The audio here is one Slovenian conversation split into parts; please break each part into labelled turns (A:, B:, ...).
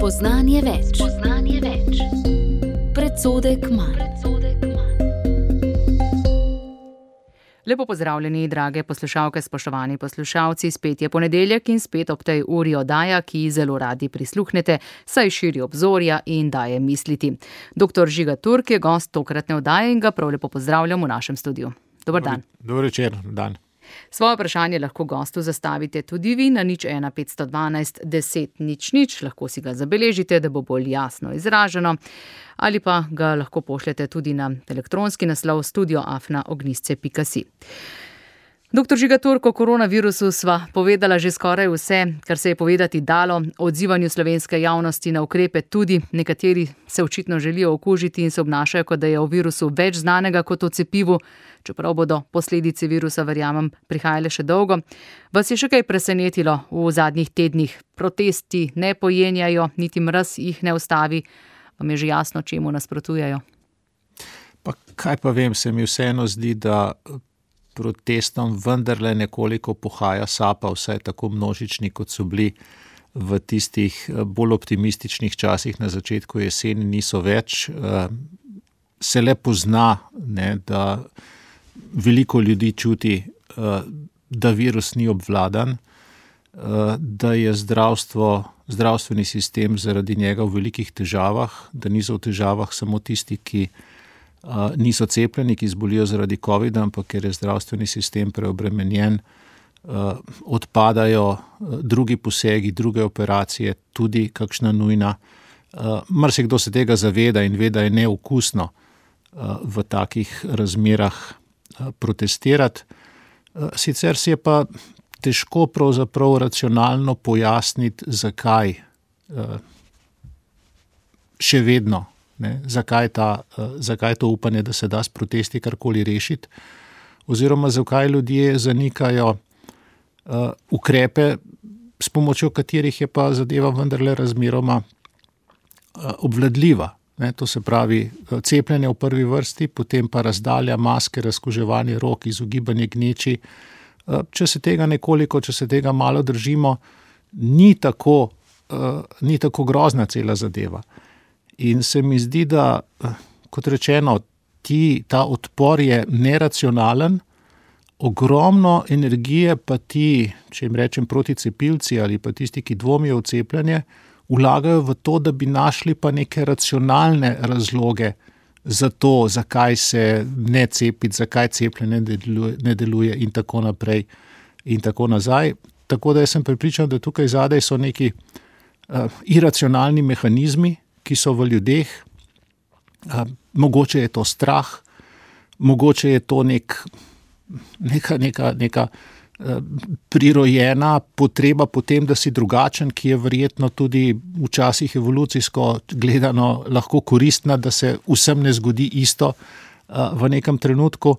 A: Spoznanje več. Predsodek manj.
B: Lepo pozdravljeni, drage poslušalke, spoštovani poslušalci, spet je ponedeljek in spet ob tej uri oddaja, ki zelo radi prisluhnete, saj širi obzorja in daje misliti. Dr. Žiga Turk je gost tokratne oddaje in ga prav lepo pozdravljam v našem studiu. Dober dan.
C: Dober večer, dan.
B: Svoje vprašanje lahko gostu zastavite tudi vi na 01 512 10 00, lahko si ga zabeležite, da bo bolj jasno izraženo, ali pa ga lahko pošljete tudi na elektronski naslov studio@ognisce.si. Dr. Žiga Turk, o koronavirusu sva povedala že skoraj vse, kar se je povedati dalo, o odzivanju slovenske javnosti na ukrepe tudi. Nekateri se očitno želijo okužiti in se obnašajo, kot da je o virusu več znanega kot o cepivu, čeprav bodo posledice virusa, verjamem, prihajale še dolgo. Vas je še kaj presenetilo v zadnjih tednih? Protesti ne pojenjajo, niti mraz jih ne ustavi. Vam je že jasno, čemu nasprotujejo?
C: Pa kaj pa vem, se mi vseeno zdi, da protestom vendarle nekoliko pohaja sapa, vsaj tako množični, kot so bili v tistih bolj optimističnih časih na začetku jeseni, niso več. Se le pozna, ne, da veliko ljudi čuti, da virus ni obvladan, da je zdravstveni sistem zaradi njega v velikih težavah, da niso v težavah samo tisti, ki niso cepljeni, ki zbolijo zaradi covida, ampak ker je zdravstveni sistem preobremenjen, odpadajo drugi posegi, druge operacije, tudi kakšna nujna. Marsikdo se tega zaveda in ve, da je neokusno v takih razmerah protestirati. Sicer si je pa težko pravzaprav racionalno pojasniti, zakaj še vedno, ne, zakaj to upanje, da se da s protesti karkoli rešiti, oziroma zakaj ljudje zanikajo ukrepe, s pomočjo katerih je pa zadeva vendarle razmeroma obvladljiva. Ne, to se pravi cepljenje v prvi vrsti, potem pa razdalja, maske, razkuževanje rok, izogibanje gneči. Če se tega malo držimo, ni tako grozna cela zadeva. In se mi zdi, da, kot rečeno, ta odpor je neracionalen, ogromno energije pa ti, če jim rečem proticepilci ali pa tisti, ki dvomijo v cepljenje, vlagajo v to, da bi našli pa neke racionalne razloge za to, zakaj se ne cepiti, zakaj cepljenje ne deluje in tako naprej in tako nazaj. Tako da jaz sem prepričan, da tukaj zadaj so neki iracionalni mehanizmi, ki so v ljudeh. Mogoče je to strah, mogoče je to neka prirojena potreba potem, da si drugačen, ki je verjetno tudi včasih evolucijsko gledano lahko koristna, da se vsem ne zgodi isto v nekem trenutku.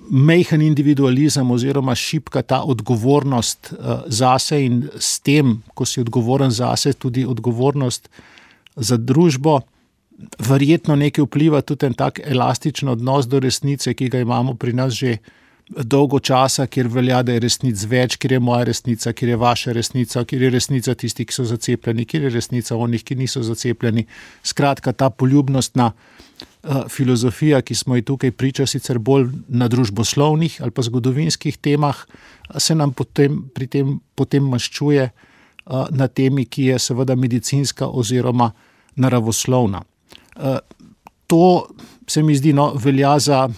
C: Majhen individualizem oziroma šibka ta odgovornost zase in s tem, ko si odgovoren zase, tudi odgovornost za družbo, verjetno nekaj vpliva tudi en tak elastičen odnos do resnice, ki ga imamo pri nas že dolgo časa, kjer velja, da je resnic več, kjer je moja resnica, kjer je vaša resnica, kjer je resnica tisti, ki so zacepljeni, kjer je resnica onih, ki niso zacepljeni. Skratka, ta poljubnostna filozofija, ki smo ji tukaj priča, sicer bolj na družboslovnih ali pa zgodovinskih temah, se nam potem maščuje na temi, ki je seveda medicinska oziroma naravoslovna. To se mi zdi, velja za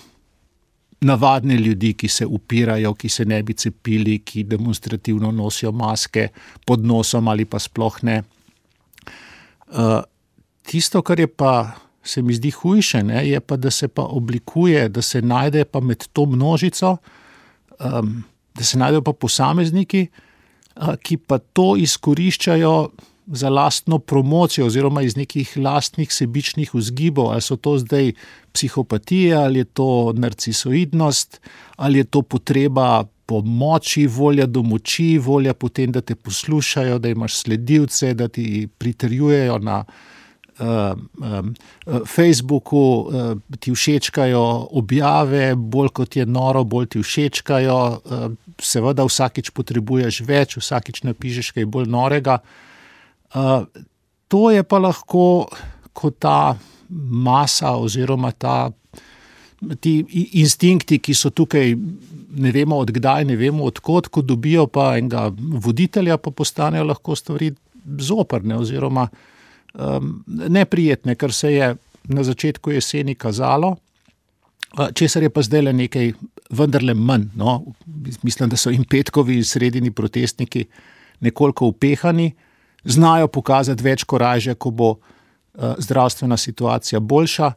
C: navadne ljudi, ki se upirajo, ki se ne bi cepili, ki demonstrativno nosijo maske pod nosom ali pa sploh ne. Tisto, kar je pa se mi zdi hujše, ne, je pa, da se pa oblikuje, da se najde pa med to množico, da se najdejo pa posamezniki, ki pa to izkoriščajo za lastno promocijo oziroma iz nekih lastnih sebičnih vzgibov, ali so to zdaj psihopatije, ali je to narcisoidnost, ali je to potreba po moči, volja do moči, volja potem, da te poslušajo, da imaš sledilce, da ti pritrjujejo na Facebooku, ti všečkajo objave, bolj kot je noro, bolj ti všečkajo, seveda vsakič potrebuješ več, vsakič napišeš kaj bolj norega. to je pa lahko, ko ta masa oziroma ti instinkti, ki so tukaj, ne vemo odkdaj, ne vemo odkot, ko dobijo pa enega voditelja, pa postanejo lahko stvari zoprne oziroma neprijetne, kar se je na začetku jeseni kazalo, česar je pa zdaj le nekaj vendarle manj. No? Mislim, da so jim petkovi sredini protestniki nekoliko upehani, znajo pokazati več korajže, ko bo zdravstvena situacija boljša,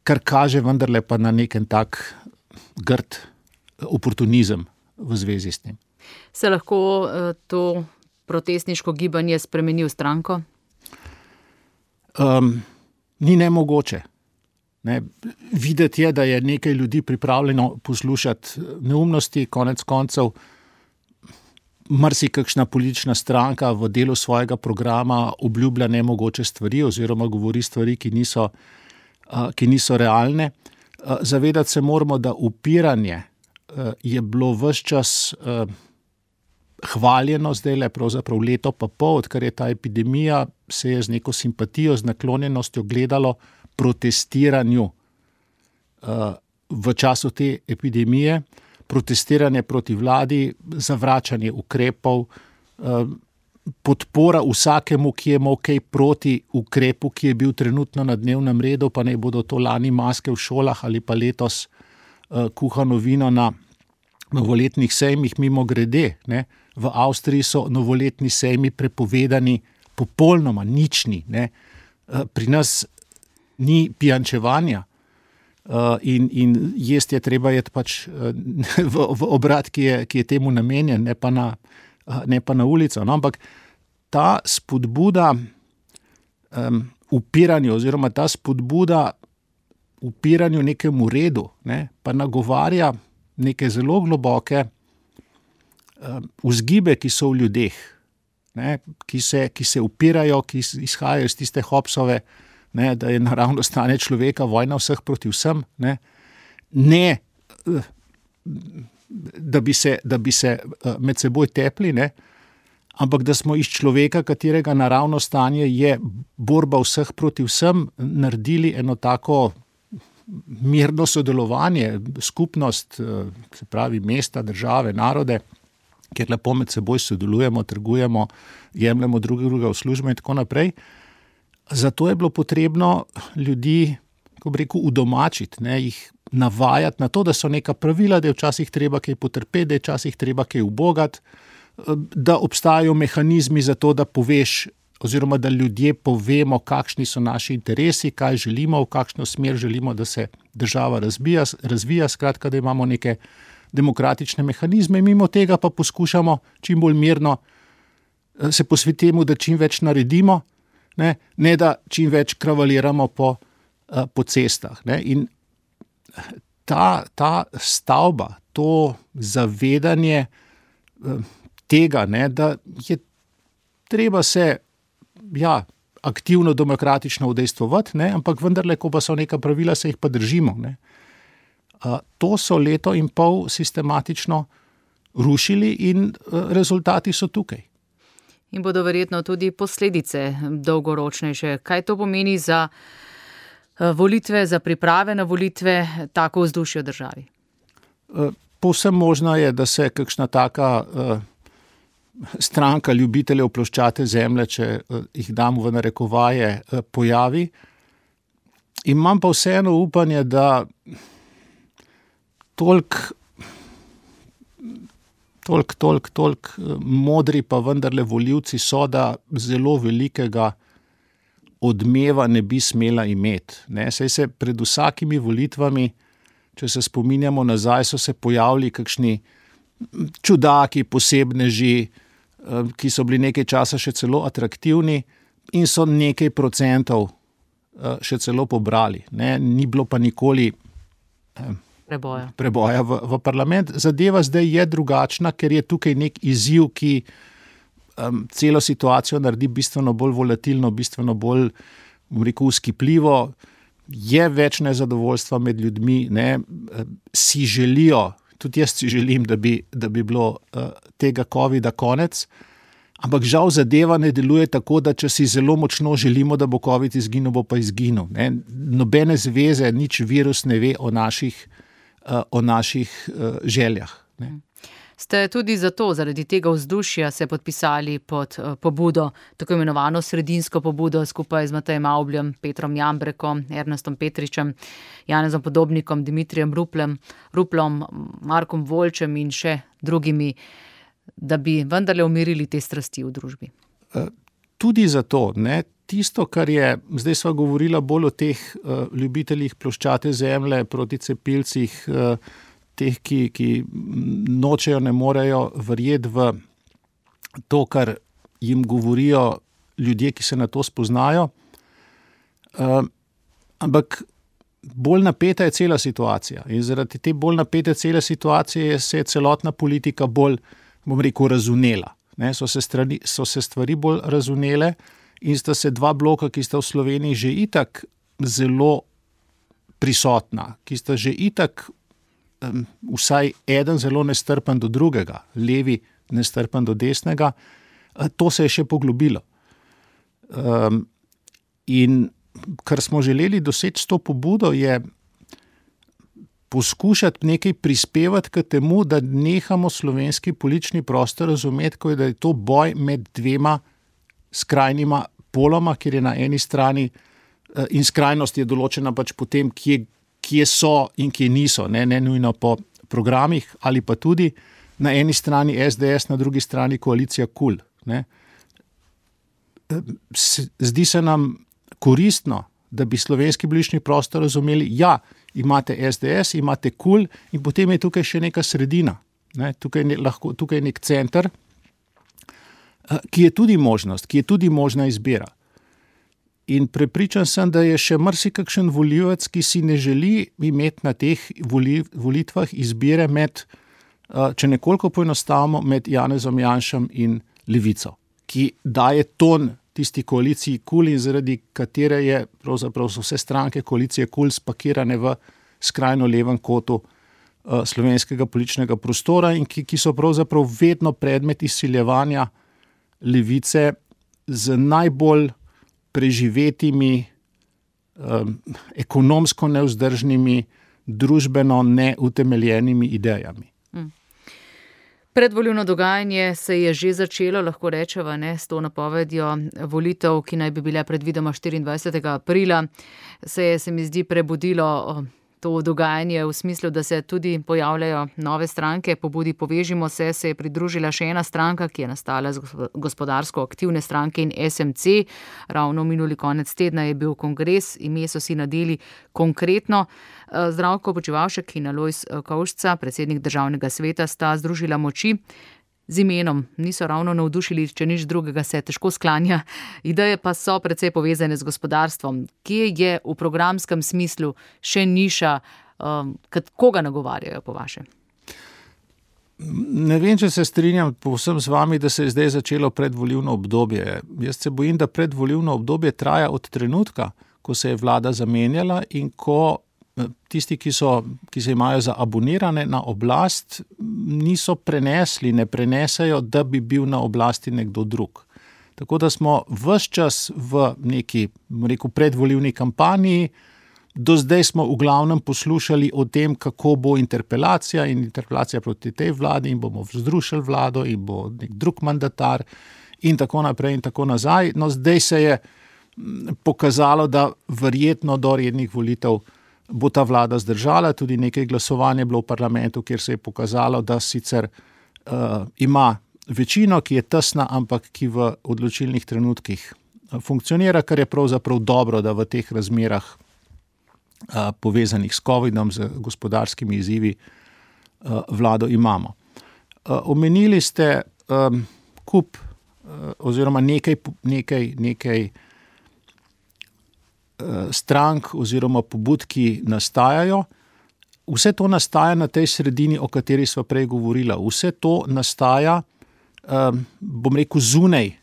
C: kar kaže vendarle pa na neken tak grd oportunizem v zvezi s tem.
B: Se lahko to protestniško gibanje spremeni v stranko?
C: Ni nemogoče. Ne. Videti je, da je nekaj ljudi pripravljeno poslušati neumnosti, konec koncev marsikakšna politična stranka v delu svojega programa obljublja nemogoče stvari oziroma govori stvari, ki niso realne. Zavedati se moramo, da upiranje je bilo ves čas hvaljeno, zdaj le pravzaprav leto pa pol, odkar je ta epidemija, se je z neko simpatijo, z naklonjenostjo gledalo protestiranju v času te epidemije, protestiranje proti vladi, zavračanje ukrepov, podpora vsakemu, ki je imel kaj proti ukrepu, ki je bil trenutno na dnevnem redu, pa naj bodo to lani maske v šolah ali pa letos kuhano vino na novoletnih sejmih. Mimogrede, ne, v Avstriji so novoletni sejmi prepovedani popolnoma, nični. Ne. Pri nas ni pijančevanja in jesti je treba jeti pač v obrat, ki je temu namenjen, ne pa na ulico. No, ampak ta spodbuda upiranju oziroma ta spodbuda upiranju nekemu redu, ne, pa nagovarja neke zelo globoke vzgibe, ki so v ljudeh, ne, ki se upirajo, ki izhajajo iz tiste Hobbesove, ne, da je naravno stanje človeka vojna vseh proti vsem, ne da bi se med seboj tepli, ne, ampak da smo iz človeka, katerega naravno stanje je borba vseh proti vsem, naredili eno tako mirno sodelovanje, skupnost, se pravi mesta, države, narode, kjer lepo med seboj sodelujemo, trgujemo, jemljemo drugega v službo in tako naprej. Zato je bilo potrebno ljudi, kako bi rekel, udomačiti, ne, jih navajati na to, da so neka pravila, da je včasih treba kaj potrpeti, da je včasih treba kaj ubogati, da obstajajo mehanizmi za to, da poveš oziroma da ljudje povemo, kakšni so naši interesi, kaj želimo, v kakšno smer želimo, da se država razvija, skratka, da imamo neke demokratične mehanizme, mimo tega pa poskušamo čim bolj mirno se posvetiti temu, da čim več naredimo, ne da čim več kravaliramo po cestah. Ne. In ta stavba, to zavedanje tega, ne, da je treba se aktivno demokratično udejstvovati, ne, ampak vendarle, ko pa so neka pravila, se jih pa držimo. Ne. To so leto in pol sistematično rušili in rezultati so tukaj.
B: In bodo verjetno tudi posledice dolgoročnejše. Kaj to pomeni za volitve, za priprave na volitve, tako vzdušje v državi?
C: Povsem možno je, da se kakšna taka stranka ljubiteljev ploščate zemlje, če jih damo v narekovaje, pojavi. Imam pa vseeno upanje, da toliko modri pa vendarle volivci so, da zelo velikega odmeva ne bi smela imeti. Ne, saj se pred vsakimi volitvami, če se spominjamo nazaj, so se pojavili kakšni čudaki, posebneži, ki so bili nekaj časa še celo atraktivni in so nekaj procentov še celo pobrali. Ne, ni bilo pa nikoli preboja v parlament. Zadeva zdaj je drugačna, ker je tukaj nek izziv, ki celo situacijo naredi bistveno bolj volatilno, bistveno bolj, vzkipljivo. Je več nezadovoljstva med ljudmi, ne, si želijo, tudi jaz si želim, da bi bilo tega covida konec, Ampak žal zadeva ne deluje tako, da če si zelo močno želimo, da bo COVID izginil, bo pa izginil. Ne? Nobene zveze, nič virus ne ve o naših željah. Ne?
B: Ste tudi zaradi tega vzdušja se podpisali pod pobudo, tako imenovano sredinsko pobudo skupaj z Matejem Avbljem, Petrom Jambrekom, Ernestom Petričem, Janezom Podobnikom, Dimitrijem Ruplom, Markom Voljčem in še drugimi, da bi vendarle umirili te strasti v družbi?
C: Tudi zato, ne, tisto, kar je, zdaj sva govorila bolj o teh ljubiteljih ploščate zemlje, proti cepilcih, teh, ki nočejo, ne morejo verjeti v to, kar jim govorijo ljudje, ki se na to spoznajo. Ampak bolj napeta je cela situacija in zaradi te bolj napete cele situacije se je celotna politika bolj, bom rekel, razvnela. Ne, so se stvari bolj razvnele in sta se dva bloka, ki sta v Sloveniji že itak zelo prisotna, ki sta že itak vsaj eden zelo nestrpen do drugega, levi nestrpen do desnega, to se je še poglobilo. In kar smo želeli doseči s to pobudo je poskušati nekaj prispevati k temu, da nehamo slovenski politični prostor razumeti, kot da je to boj med dvema skrajnima poloma, kjer je na eni strani in skrajnost je določena pač po tem, kje so in kje niso, ne nujno po programih ali pa tudi na eni strani SDS, na drugi strani koalicija KUL. Zdi se nam koristno, da bi slovenski politični prostor razumeli, ja, imate SDS, imate KUL in potem je tukaj še neka sredina. Tukaj je nek center, ki je tudi možnost, ki je tudi možna izbira. In prepričan sem, da je še marsikakšen volivec, ki si ne želi imeti na teh volitvah izbire med, če nekoliko poenostavimo, med Janezom Janšem in Levico, ki daje ton tisti koaliciji KUL in zaradi katere je pravzaprav vse stranke koalicije KUL spakirane v skrajno levem kotu slovenskega političnega prostora in ki so pravzaprav vedno predmet izsiljevanja Levice z najbolj preživetimi, ekonomsko nevzdržnimi, družbeno neutemeljenimi idejami.
B: Predvolilno dogajanje se je že začelo, lahko rečeva, s to napovedjo volitev, ki naj bi bile predvidoma 24. aprila. Se mi zdi prebudilo to dogajanje v smislu, da se tudi pojavljajo nove stranke. Pobudi Povežimo se je pridružila še ena stranka, ki je nastala z gospodarsko aktivne stranke in SMC. Ravno minuli konec tedna je bil kongres, ime so si nadeli Konkretno. Zdravko Počivalšek in Alojz Kovšca, predsednik Državnega sveta, sta združila moči. Z imenom niso ravno navdušili, če nič drugega se težko sklanja. Ideje pa so precej povezane z gospodarstvom. Kje je v programskem smislu še niša, koga nagovarjajo po vaše?
C: Ne vem, če se strinjam povsem z vami, da se je zdaj začelo predvolilno obdobje. Jaz se bojim, da predvolilno obdobje traja od trenutka, ko se je vlada zamenjala in ko tisti, ki se imajo za abonirane na oblast, niso ne prenesejo, da bi bil na oblasti nekdo drug. Tako da smo ves čas v neki, predvolilni kampanji, do zdaj smo v glavnem poslušali o tem, kako bo interpelacija in interpelacija proti tej vladi in bomo vzrušili vlado in bo nek drug mandatar in tako naprej in tako nazaj. No, zdaj se je pokazalo, da verjetno do rednih volitev bo ta vlada zdržala, tudi nekaj glasovanja je bilo v parlamentu, kjer se je pokazalo, da sicer ima večino, ki je tesna, ampak ki v odločilnih trenutkih funkcionira, kar je pravzaprav dobro, da v teh razmerah povezanih s covidom, z gospodarskimi izzivi vlado imamo. Omenili ste kup oziroma nekaj strank oziroma pobud, ki nastajajo. Vse to nastaja na tej sredini, o kateri sva prej govorila. Vse to nastaja, bom rekel, zunaj,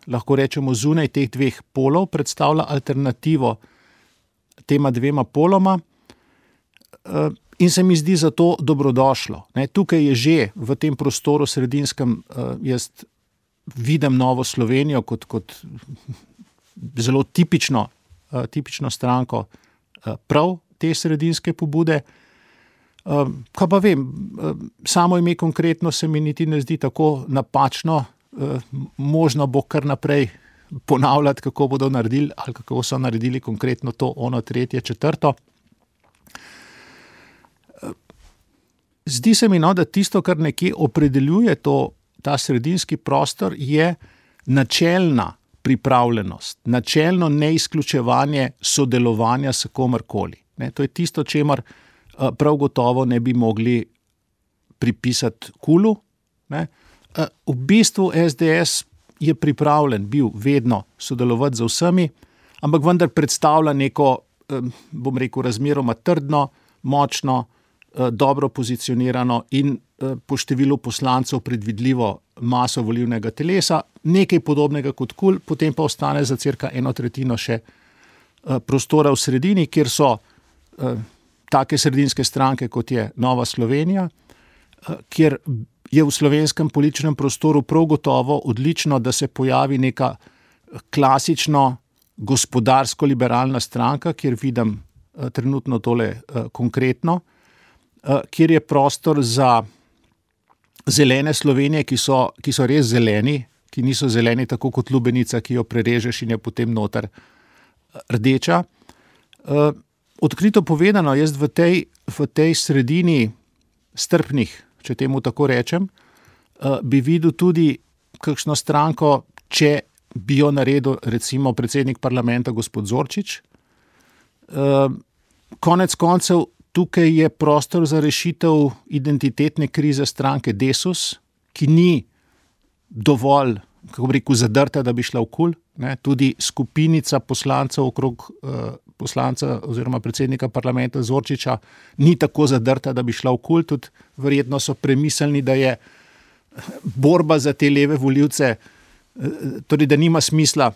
C: lahko rečemo zunaj teh dveh polov, predstavlja alternativo tema dvema poloma in se mi zdi zato dobrodošlo. Tukaj je že v tem prostoru sredinskem, jaz vidim Novo Slovenijo kot zelo tipično stranko prav te sredinske pobude. Kaj pa vem, samo ime konkretno se mi niti ne zdi tako napačno, možno bo kar naprej ponavljati, kako bodo naredili ali kako so naredili konkretno to, ono, tretje, četrto. Zdi se mi, da tisto, kar nekje opredeljuje ta sredinski prostor, je načelna pripravljenost, načelno neizključevanje sodelovanja s komerkoli. To je tisto, čemer prav gotovo ne bi mogli pripisati KUL-u. V bistvu SDS je pripravljen bil vedno sodelovati z vsemi, ampak vendar predstavlja neko, bom rekel, razmeroma trdno, močno, dobro pozicionirano in po številu poslancev predvidljivo maso volilnega telesa, nekaj podobnega kot KUL, potem pa ostane za cirka 1/3 še prostora v sredini, kjer so take sredinske stranke, kot je Nova Slovenija, kjer je v slovenskem političnem prostoru prav gotovo odlično, da se pojavi neka klasično gospodarsko-liberalna stranka, kjer vidim trenutno tole konkretno, kjer je prostor za zelene Slovenije, ki so res zeleni, ki niso zeleni tako kot lubenica, ki jo prerežeš in je potem noter rdeča. Odkrito povedano, jaz v tej sredini strpnih, če temu tako rečem, bi videl tudi kakšno stranko, če bi jo naredil recimo predsednik parlamenta gospod Zorčič. Konec koncev tukaj je prostor za rešitev identitetne krize stranke Desus, ki ni dovolj, kako bi rekel, zadrta, da bi šla v KUL. Tudi skupinica poslancev okrog poslanca oziroma predsednika parlamenta Zorčiča ni tako zadrta, da bi šla v KUL. Tudi verjetno so premislili, da je borba za te leve volivce, torej da nima smisla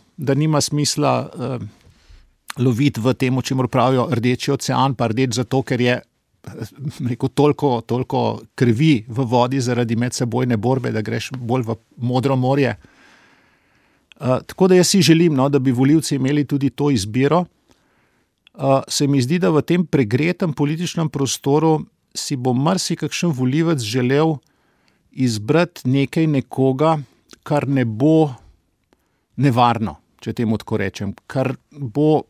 C: loviti v tem, o čemer pravijo rdeči ocean, pa rdeč zato, ker je rekel, toliko krvi v vodi zaradi medsebojne borbe, da greš bolj v modro morje. Tako da jaz si želim, da bi volivci imeli tudi to izbiro. Se mi zdi, da v tem pregretem političnem prostoru si bo marsikakšen volivec želel izbrati nekoga, kar ne bo nevarno, če temu tako rečem, kar bo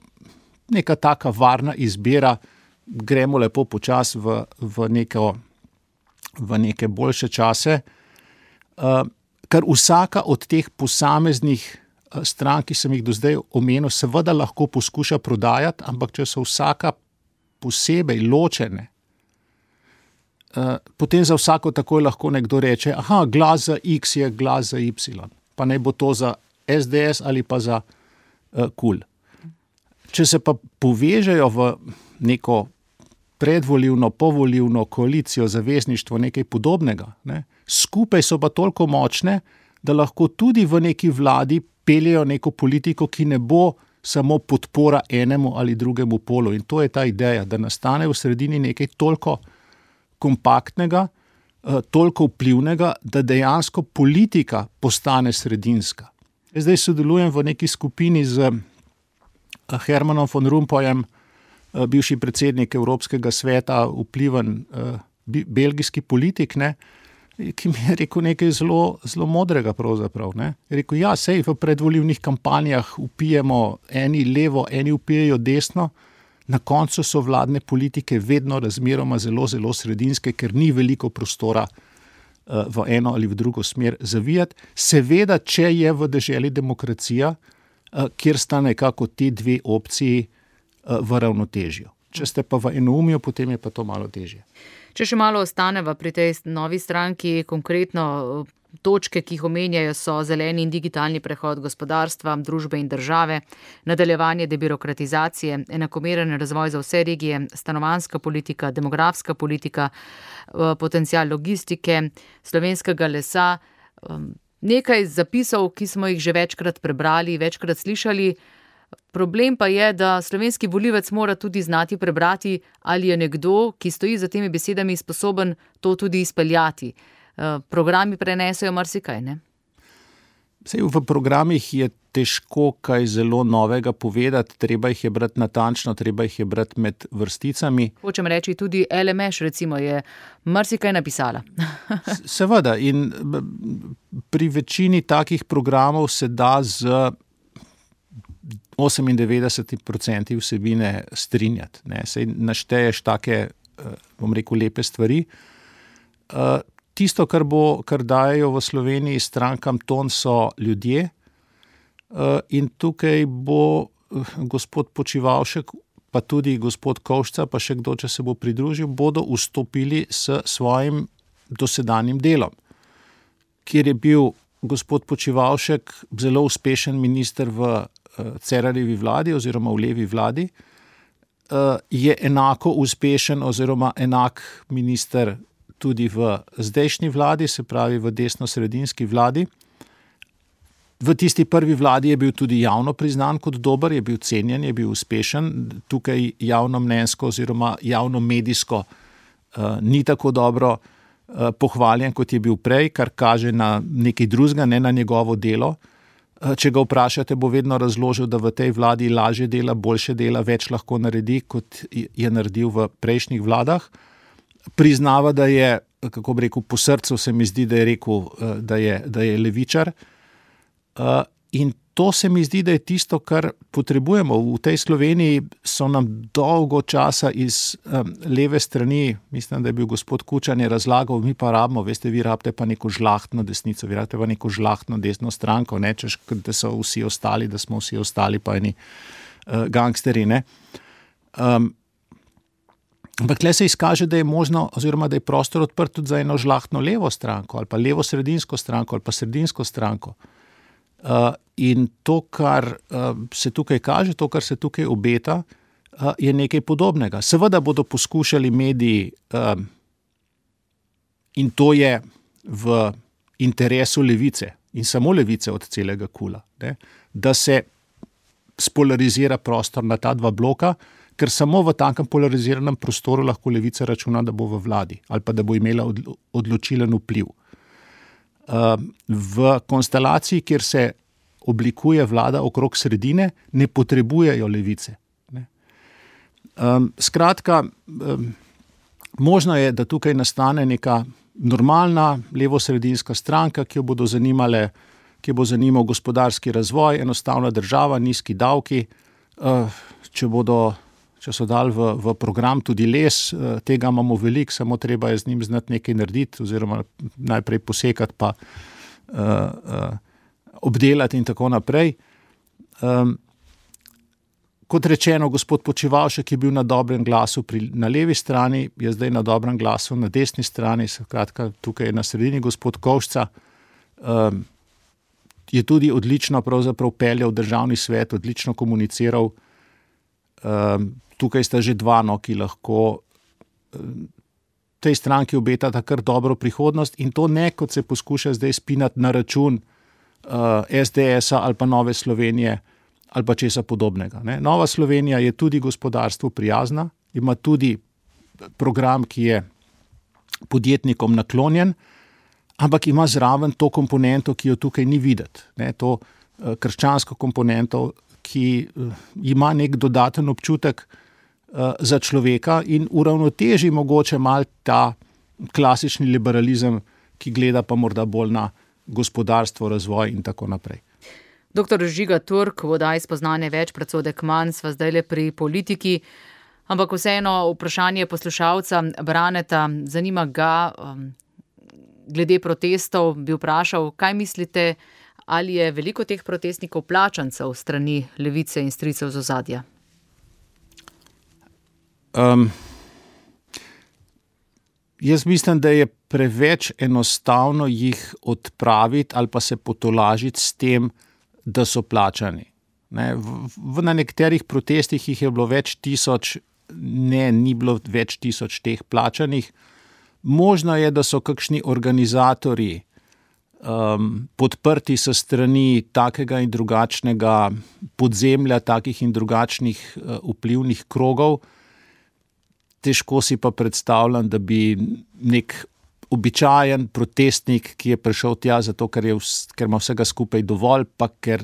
C: neka taka varna izbira, gremo lepo počasi v neke boljše čase, kar vsaka od teh posameznih strank, ki sem jih do zdaj omenil, seveda lahko poskuša prodajati, ampak če so vsaka posebej ločene, potem za vsako takoj lahko nekdo reče, glas za X je glas za Y, pa naj bo to za SDS ali pa za KUL. Če se pa povežejo v neko predvolilno, povolilno koalicijo, zavezništvo, nekaj podobnega, skupaj so pa toliko močne, da lahko tudi v neki vladi peljejo neko politiko, ki ne bo samo podpora enemu ali drugemu polu. In to je ta ideja, da nastane v sredini nekaj toliko kompaktnega, toliko vplivnega, da dejansko politika postane sredinska. Zdaj sodelujem v neki skupini z Hermanom von Rompuyem, bivši predsednik Evropskega sveta, vpliven belgijski politik, ki mi je rekel nekaj zelo, zelo modrega pravzaprav. Je rekel, sej v predvolilnih kampanjah vpijemo eni levo, eni vpijejo desno, na koncu so vladne politike vedno razmeroma zelo, zelo sredinske, ker ni veliko prostora v eno ali v drugo smer zavijati. Seveda, če je v deželi demokracija, kjer sta nekako te dve opciji v ravnotežju. Če ste pa v enoumju, potem je pa to malo težje.
B: Če še malo ostaneva pri tej novi stranki, konkretno točke, ki jih omenjajo, so zeleni in digitalni prehod gospodarstva, družbe in države, nadaljevanje debirokratizacije, enakomeren razvoj za vse regije, stanovanjska politika, demografska politika, potencial logistike, slovenskega lesa. Nekaj zapisov, ki smo jih že večkrat prebrali, večkrat slišali. Problem pa je, da slovenski volivec mora tudi znati prebrati, ali je nekdo, ki stoji za temi besedami, sposoben to tudi izpeljati. Programi prenesejo marsikaj, ne?
C: Sej v programih je težko kaj zelo novega povedati, treba jih je brati natančno, treba jih je brati med vrsticami.
B: Hočem reči, tudi LMŠ recimo je marsikaj napisala.
C: Seveda, in pri večini takih programov se da z 98% vsebine strinjati. Sej našteješ take, bom rekel, lepe stvari. Tisto, kar dajejo v Sloveniji strankam ton, so ljudje, in tukaj bo gospod Počivalšek, pa tudi gospod Kovšca, pa še kdo, če se bo pridružil, bodo vstopili s svojim dosedanjim delom, kjer je bil gospod Počivalšek zelo uspešen minister v Cerarjevi vladi oziroma v levi vladi, je enako uspešen oziroma enak minister tudi v zdajšnji vladi, se pravi v desno-sredinski vladi. V tisti prvi vladi je bil tudi javno priznan kot dober, je bil cenjen, je bil uspešen. Tukaj javnomnenjsko oziroma javnomedijsko ni tako dobro pohvaljen, kot je bil prej, kar kaže na nekaj drugega, ne na njegovo delo. Če ga vprašate, bo vedno razložil, da v tej vladi lažje dela, boljše dela, več lahko naredi, kot je naredil v prejšnjih vladah. Priznava, da je, kako bi rekel, po srcu se mi zdi, da je rekel, da je levičar. In to se mi zdi, da je tisto, kar potrebujemo. V tej Sloveniji so nam dolgo časa iz leve strani, mislim, da je bil gospod Kučan, je razlagal, mi pa rabimo, veste, vi rabite pa neko žlahtno desnico, vi rabite pa neko žlahtno desno stranko, ne, češ, da so vsi ostali, da smo vsi ostali pa eni gangsteri, ne. Ampak tle se izkaže, da je možno, oziroma da je prostor odprt tudi za eno žlahtno levo stranko, ali pa levo-sredinsko stranko, ali pa sredinsko stranko. In to, kar se tukaj kaže, to, kar se tukaj obeta, je nekaj podobnega. Seveda bodo poskušali mediji, in to je v interesu levice, in samo levice od celega kula, ne, da se spolarizira prostor na ta dva bloka, ker samo v takem polariziranem prostoru lahko levica računa, da bo v vladi ali pa da bo imela odločilen vpliv. V konstelaciji, kjer se oblikuje vlada okrog sredine, ne potrebujejo levice. Skratka, možno je, da tukaj nastane neka normalna levosredinska stranka, ki jo bodo zanimale, ki bo zanimal gospodarski razvoj, enostavna država, nizki davki, če so dali v program tudi les, tega imamo veliko, samo treba je z njim znati nekaj narediti, oziroma najprej posekati pa obdelati in tako naprej. Kot rečeno, gospod Počivalšek je bil na dobrem glasu na levi strani, je zdaj na dobrem glasu na desni strani, skratka tukaj je na sredini gospod Kovšca, je tudi odlično pravzaprav peljal državni svet, odlično komuniciral. Tukaj sta že dva, ki lahko tej stranki obetata kar dobro prihodnost, in to ne, kot se poskuša zdaj spinati na račun SDS-a ali pa Nove Slovenije ali pa česa podobnega. Ne. Nova Slovenija je tudi gospodarstvu prijazna, ima tudi program, ki je podjetnikom naklonjen, ampak ima zraven to komponento, ki jo tukaj ni videti. Ne, to krščansko komponento, ki ima nek dodaten občutek za človeka in uravnoteži mogoče mal ta klasični liberalizem, ki gleda pa morda bolj na gospodarstvo, razvoj in tako naprej.
B: Doktor Žiga Turk, v oddaji Spoznanje več, predsodek manj, sva zdaj le pri politiki, ampak vseeno vprašanje poslušalca Braneta, zanima ga, glede protestov, bi vprašal, kaj mislite, ali je veliko teh protestnikov plačancev strani levice in stricev z ozadja?
C: Jaz mislim, da je preveč enostavno jih odpraviti ali pa se potolažiti s tem, da so plačani. Ne, na nekaterih protestih jih je bilo več tisoč, ni bilo več tisoč teh plačanih. Možno je, da so kakšni organizatorji podprti s strani takega in drugačnega podzemlja, takih in drugačnih vplivnih krogov. Težko si pa predstavljam, da bi nek običajen protestnik, ki je prišel tja zato, ker ima vsega skupaj dovolj, pa ker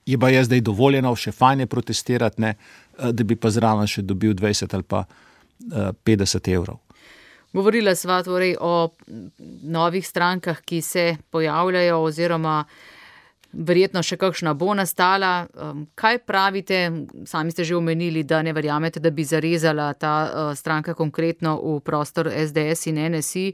C: je pa zdaj dovoljeno, še fajn je protestirati, ne, da bi pa zraven še dobil 20 ali pa 50 evrov.
B: Govorila sva torej o novih strankah, ki se pojavljajo oziroma verjetno še kakšna bo nastala. Kaj pravite, sami ste že omenili, da ne verjamete, da bi zarezala ta stranka konkretno v prostor SDS in NSI.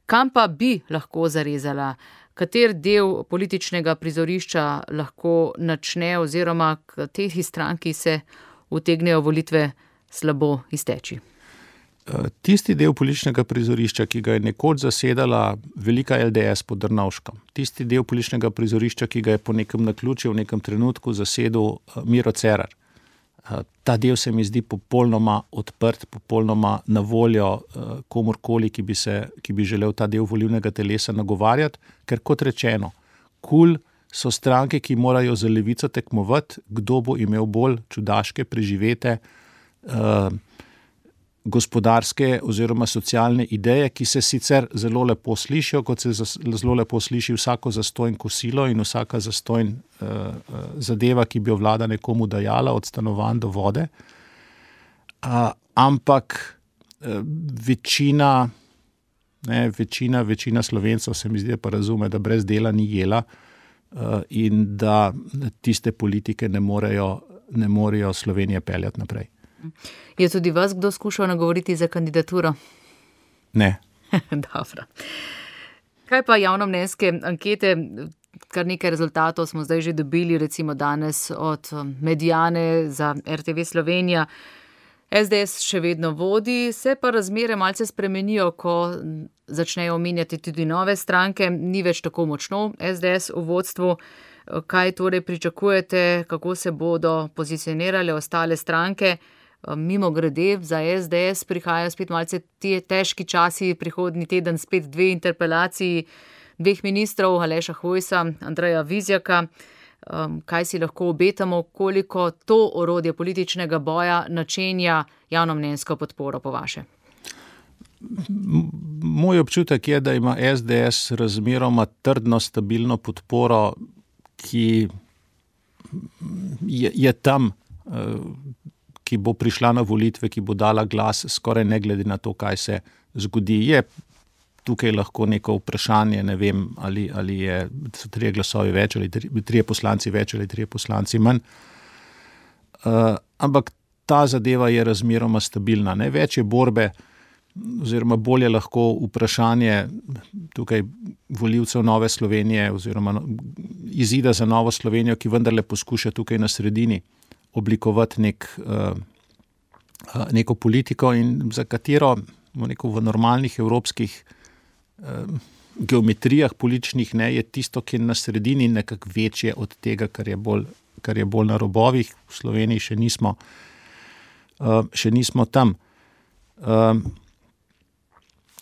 B: Kam pa bi lahko zarezala? Kater del političnega prizorišča lahko načne oziroma kateri stranki se utegnejo volitve slabo izteči?
C: Tisti del političnega prizorišča, ki ga je nekoč zasedala velika LDS pod Drnovškom, tisti del političnega prizorišča, ki ga je po nekem naključju v nekem trenutku zasedel Miro Cerar, ta del se mi zdi popolnoma odprt, popolnoma na voljo komurkoli, ki bi želel ta del volilnega telesa nagovarjati, ker kot rečeno, KUL so stranke, ki morajo za levico tekmovati, kdo bo imel bolj čudaške preživete gospodarske oziroma socialne ideje, ki se sicer zelo lepo slišijo, kot se zelo lepo sliši vsako zastojn kosilo in vsaka zastojn zadeva, ki bi jo vlada nekomu dajala, od stanovanj do vode. Ampak večina Slovencev se mi zdi, pa razume, da brez dela ni jela in da tiste politike ne morejo Slovenije peljati naprej.
B: Je tudi vas kdo skušal nagovoriti za kandidaturo?
C: Ne.
B: Dobro. Kaj pa javnomnenjske ankete? Kar nekaj rezultatov smo zdaj že dobili, recimo danes od Mediane za RTV Slovenija. SDS še vedno vodi, se pa razmere malce spremenijo, ko začnejo omenjati tudi nove stranke, ni več tako močno SDS v vodstvu. Kaj torej pričakujete, kako se bodo pozicionirale ostale stranke? Mimo grede, za SDS prihajajo spet malce težki časi, prihodnji teden spet 2 interpelaciji 2 ministrov, Aleša Hojsa, Andreja Vizjaka. Kaj si lahko obetamo, koliko to orodje političnega boja načenja javnomnenjsko podporo po vaše?
C: Moj občutek je, da ima SDS razmeroma trdno, stabilno podporo, ki je tam, ki bo prišla na volitve, ki bo dala glas, skoraj ne glede na to, kaj se zgodi. Je tukaj lahko neko vprašanje, ne vem, ali so 3 glasovi več, ali 3 poslanci več, ali 3 poslanci manj. Ampak ta zadeva je razmeroma stabilna. Ne? Več je borbe, oziroma bolje lahko vprašanje tukaj volivcev Nove Slovenije oziroma izida za Novo Slovenijo, ki vendarle poskuša tukaj na sredini oblikovati neko politiko in za katero v normalnih evropskih geometrijah političnih ne, je tisto, ki je na sredini nekako večje od tega, kar je bolj na robovih. V Sloveniji še nismo tam.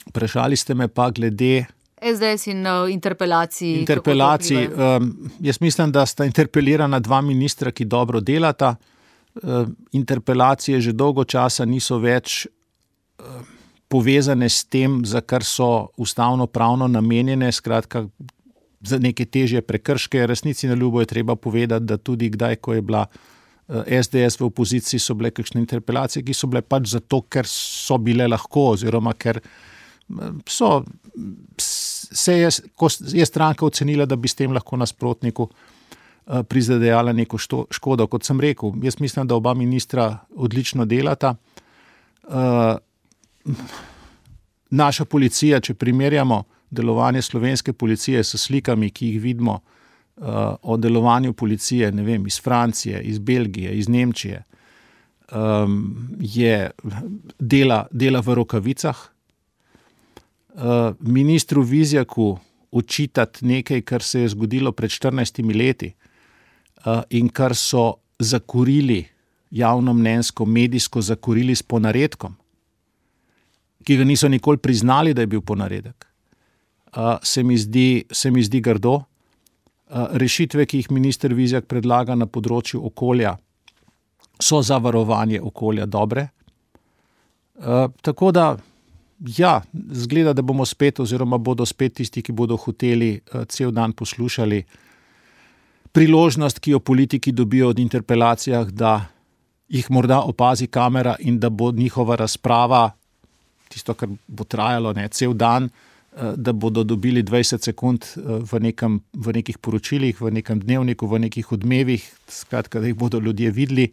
C: Vprašali ste me pa glede
B: SDS in interpelacij.
C: Jaz mislim, da sta interpelirana 2 ministra, ki dobro delata. Interpelacije že dolgo časa niso več povezane s tem, za kar so ustavno-pravno namenjene, skratka za neke težje prekrške. Resnici na ljubo je treba povedati, da tudi kdaj, ko je bila SDS v opoziciji, so bile kakšne interpelacije, ki so bile pač zato, ker so bile lahko, oziroma ker ko je stranka ocenila, da bi s tem lahko nasprotniku prizadejala neko škodo. Kot sem rekel, jaz mislim, da oba ministra odlično delata. Naša policija, če primerjamo delovanje slovenske policije s slikami, ki jih vidimo o delovanju policije, ne vem, iz Francije, iz Belgije, iz Nemčije, dela v rokavicah. Ministru Vizjaku očitati nekaj, kar se je zgodilo pred 14 leti in kar so zakurili javnomnenjsko, medijsko zakurili s ponaredkom, ki ga niso nikoli priznali, da je bil ponaredek, se mi zdi grdo. Rešitve, ki jih minister Vizjak predlaga na področju okolja, so za varovanje okolja dobre. Tako da Ja, zgleda, da bomo spet oziroma bodo spet tisti, ki bodo hoteli cel dan poslušali priložnost, ki jo politiki dobijo od interpelacijah, da jih morda opazi kamera in da bo njihova razprava, tisto, kar bo trajalo cel dan, da bodo dobili 20 sekund v nekih poročilih, v nekem dnevniku, v nekih odmevih, skratka, da jih bodo ljudje videli.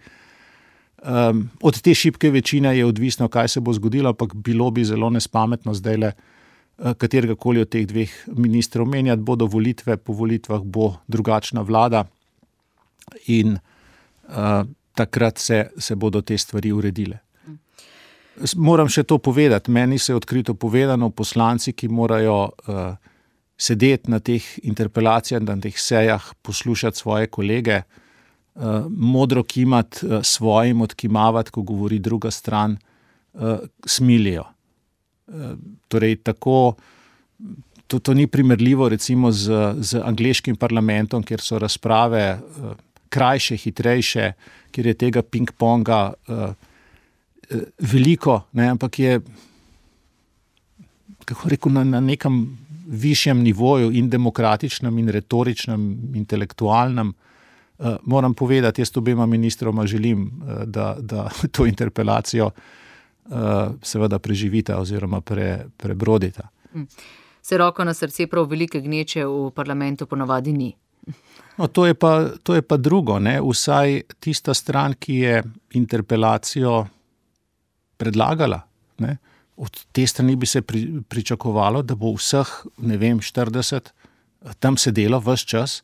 C: Od te šibke večine je odvisno, kaj se bo zgodilo, ampak bilo bi zelo nespametno zdajle katerega-koli od teh dveh ministrov menjati. Bodo volitve, po volitvah bo drugačna vlada in takrat se bodo te stvari uredile. Moram še to povedati, meni se je odkrito povedano, poslanci, ki morajo sedeti na teh interpelacijah, na teh sejah, poslušati svoje kolege, modro kimati svojim, odkimavati, ko govori druga stran, smilijo. Torej, tako, to ni primerljivo recimo z angleškim parlamentom, kjer so razprave krajše, hitrejše, kjer je tega ping-ponga veliko, ampak je, kako rekel, na nekem višjem nivoju in demokratičnem in retoričnem, intelektualnem. Moram povedati, jaz obema ministroma želim, da to interpelacijo seveda preživita oziroma prebrodita.
B: Se roko na srce, prav velike gneče v parlamentu ponavadi ni.
C: No, to je pa drugo, Vsaj tista stran, ki je interpelacijo predlagala, od te strani bi se pričakovalo, da bo vseh, 40 tam sedelo ves čas,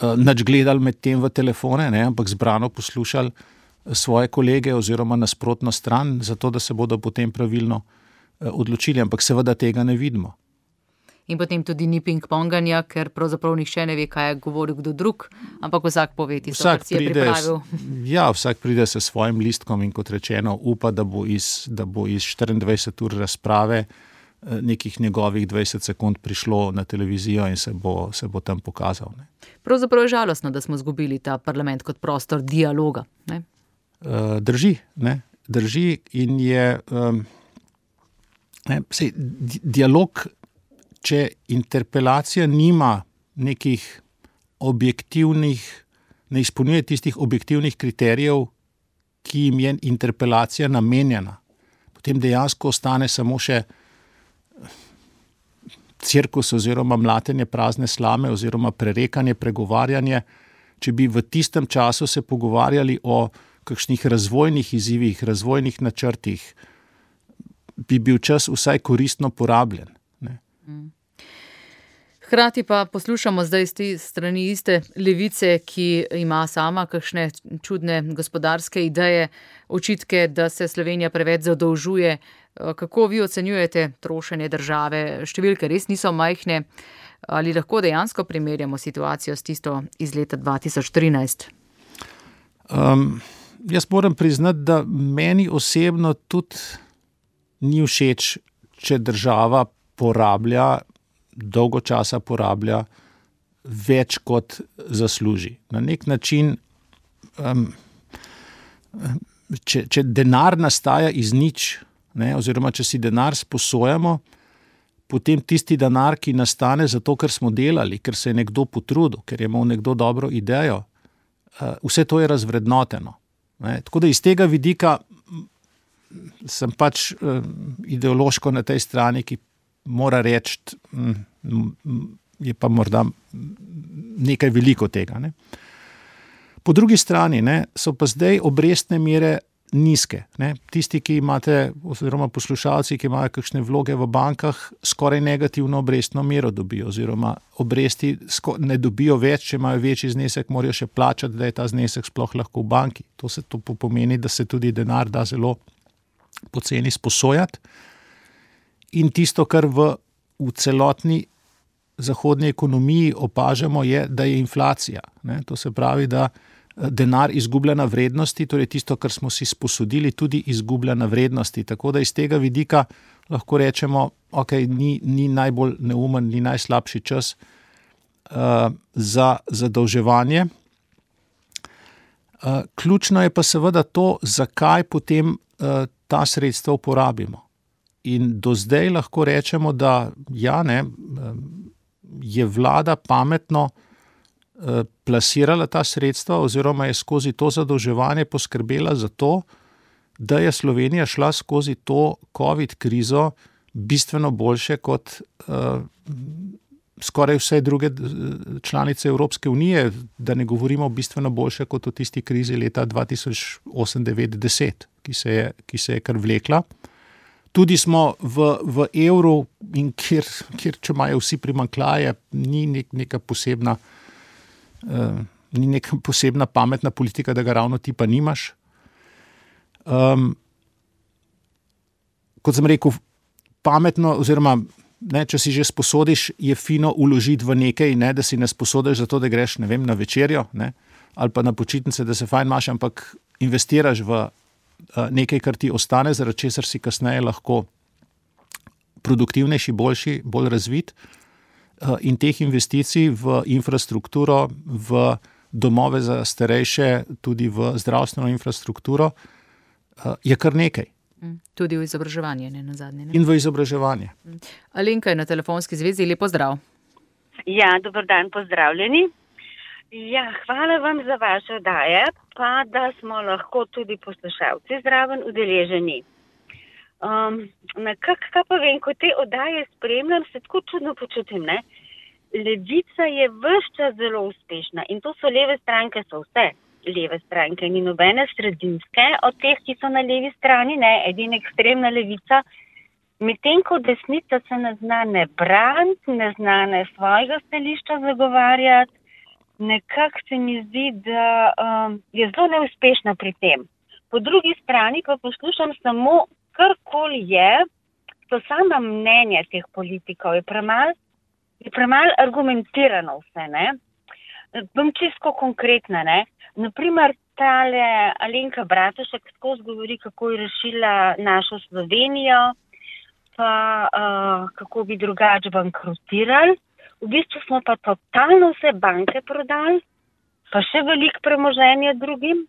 C: nič gledali med tem v telefone, ampak zbrano poslušali svoje kolege oziroma nasprotno stran, zato da se bodo potem pravilno odločili, ampak seveda tega ne vidimo.
B: In potem tudi ni ping-ponganja, ker pravzaprav nihče ne ve, kaj je govoril kdo drug, ampak vsak pove tisto, kar si je pripravil.
C: Ja, vsak pride s svojim listkom in kot rečeno upa, da bo iz 24 ur razprave nekih njegovih 20 sekund prišlo na televizijo in se bo tam pokazal.
B: Pravzaprav je žalostno, da smo izgubili ta parlament kot prostor dialoga.
C: Drži in je dialog, če interpelacija nima nekih objektivnih, ne izpolnjuje tistih objektivnih kriterijev, ki jim je interpelacija namenjena, potem dejansko ostane samo še cirkus oziroma mlatenje prazne slame oziroma prerekanje, pregovarjanje. Če bi v tistem času se pogovarjali o kakšnih razvojnih izzivih, razvojnih načrtih, bi bil čas vsaj koristno porabljen.
B: Hkrati pa poslušamo zdaj z te strani iste levice, ki ima sama kakšne čudne gospodarske ideje, očitke, da se Slovenija preveč zadolžuje. Kako vi ocenjujete trošenje države? Številke res niso majhne. Ali lahko dejansko primerjamo situacijo s tisto iz leta 2013?
C: Jaz moram priznati, da meni osebno tudi ni všeč, če država dolgo časa porablja več kot zasluži. Na nek način, če denar nastaja iz nič, oziroma če si denar sposojamo, potem tisti denar, ki nastane zato, ker smo delali, ker se je nekdo potrudil, ker je imel nekdo dobro idejo, vse to je razvrednoteno. Tako da iz tega vidika sem pač ideološko na tej strani, ki mora reči, je pa morda nekaj veliko tega. Po drugi strani so pa zdaj obrestne mere nizke. Tisti, ki imate, oziroma poslušalci, ki imajo kakšne vloge v bankah, skoraj negativno obrestno mero dobijo, oziroma obresti ne dobijo več, če imajo večji znesek, morajo še plačati, da je ta znesek sploh lahko v banki. To pomeni, da se tudi denar da zelo poceni sposojati. In tisto, kar v celotni zahodni ekonomiji opažamo, je, da je inflacija. To se pravi, da denar izgublja na vrednosti, torej tisto, kar smo si sposodili, tudi izgublja na vrednosti. Tako da iz tega vidika lahko rečemo, ni najbolj neumen, ni najslabši čas za zadolževanje. Ključno je pa seveda to, zakaj potem ta sredstva uporabimo. In do zdaj lahko rečemo, da je vlada pametno plasirala ta sredstva oziroma je skozi to zadolževanje poskrbela za to, da je Slovenija šla skozi to COVID krizo bistveno boljše kot skoraj vse druge članice Evropske unije, da ne govorimo bistveno boljše kot v tisti krizi leta 2008-2010, ki se je kar vlekla. Tudi smo v evru, in kjer če imajo vsi primanjkljaje, ni neka posebna pametna politika, da ga ravno ti pa nimaš. Kot sem rekel, pametno oziroma če si že sposodiš, je fino uložiti v nekaj, da si ne sposodiš zato, da greš, na večerjo, ali pa na počitnice, da se fajn imaš, ampak investiraš v nekaj, kar ti ostane, zaradi česar si kasneje lahko produktivnejši, boljši, bolj razvit. In teh investicij v infrastrukturo, v domove za starejše, tudi v zdravstveno infrastrukturo, je kar nekaj.
B: Tudi v izobraževanje, nazadnje.
C: In v izobraževanje.
B: Alenka je na telefonski zvezi, lep pozdrav.
D: Ja, dober dan, pozdravljeni. Ja, hvala vam za vaše oddaje, pa da smo lahko tudi poslušalci zraven udeleženi. Kaj pa vem, ko te oddaje spremljam, se tako čudno počutim, Levica je ves čas zelo uspešna in to so leve stranke, so vse leve stranke, ni nobene sredinske od teh, ki so na levi strani, edina ekstremna levica, medtem ko desnica se ne zna ne braniti, ne zna ne svojega stališča zagovarjati, nekako se mi zdi, da je zelo neuspešna pri tem. Po drugi strani pa poslušam samo, karkoli so sama mnenja teh politikov, je premalo argumentirano vse, Bom čisto konkretna, Naprimer, tale Alenka Bratušek skozi govori, kako je rešila našo Slovenijo, pa kako bi drugače bankrotirali. V bistvu smo pa totalno vse banke prodali, pa še veliko premoženja drugim,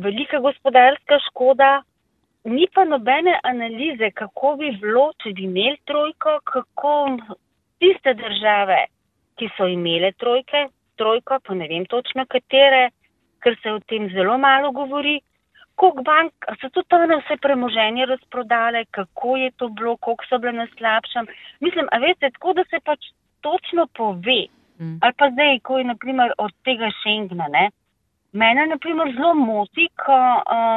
D: velika gospodarska škoda, ni pa nobene analize, kako bi bilo, če bi imeli trojko, kako tiste države, ki so imele trojko, pa ne vem točno katere, ker se o tem zelo malo govori, koliko bank so tudi one vse premoženje razprodale, kako je to bilo, koliko so bile na slabšem. Mislim, a veste, tako da se pač točno pove, ali pa zdaj, ko je naprimer od tega Schengena, Mene naprimer zelo moti, ko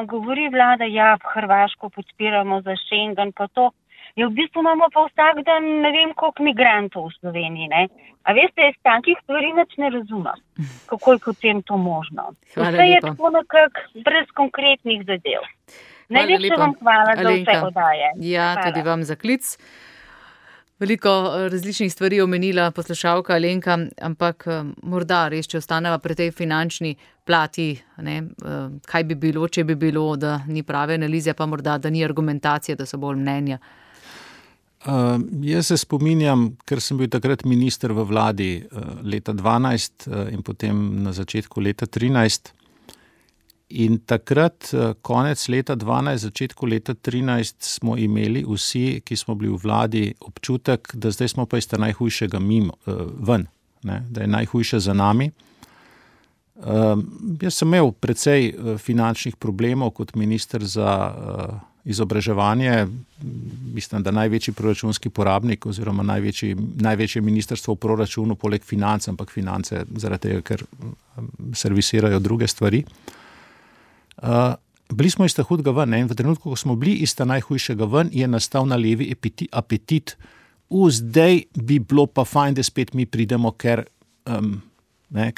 D: govori vlada, Hrvaško podpiramo za Schengen, pa to. V bistvu imamo pa vsak dan ne vem koliko migrantov v Sloveniji, A veste, jaz takih stvari nič ne razumem, kako je potem to možno. Vse je tako nekako brez konkretnih zadev. Najlepša vam hvala za vse oddaje.
B: Ja, hvala. Tudi vam za klic. Veliko različnih stvari omenila poslušalka Alenka, ampak morda res, če ostaneva pri tej finančni plati, kaj bi bilo, če bi bilo, da ni prave analize, pa morda, da ni argumentacije, da so bolj mnenja.
C: Jaz se spominjam, ker sem bil takrat minister v vladi leta 2012 in potem na začetku leta 2013. In takrat, konec leta 2012, začetku leta 2013, smo imeli vsi, ki smo bili v vladi, občutek, da zdaj smo pa iz najhujšega ven, da je najhujše za nami. Jaz sem imel precej finančnih problemov kot minister za izobraževanje. Mislim, da največji proračunski porabnik oziroma največje ministrstvo v proračunu poleg financ, ampak finance zaradi tega, ker servisirajo druge stvari. Bili smo iz ta hudega ven, in v trenutku, ko smo bili iz ta najhujšega ven, je nastal na levi apetit. Zdaj bi bilo pa fajn, da spet mi pridemo, ker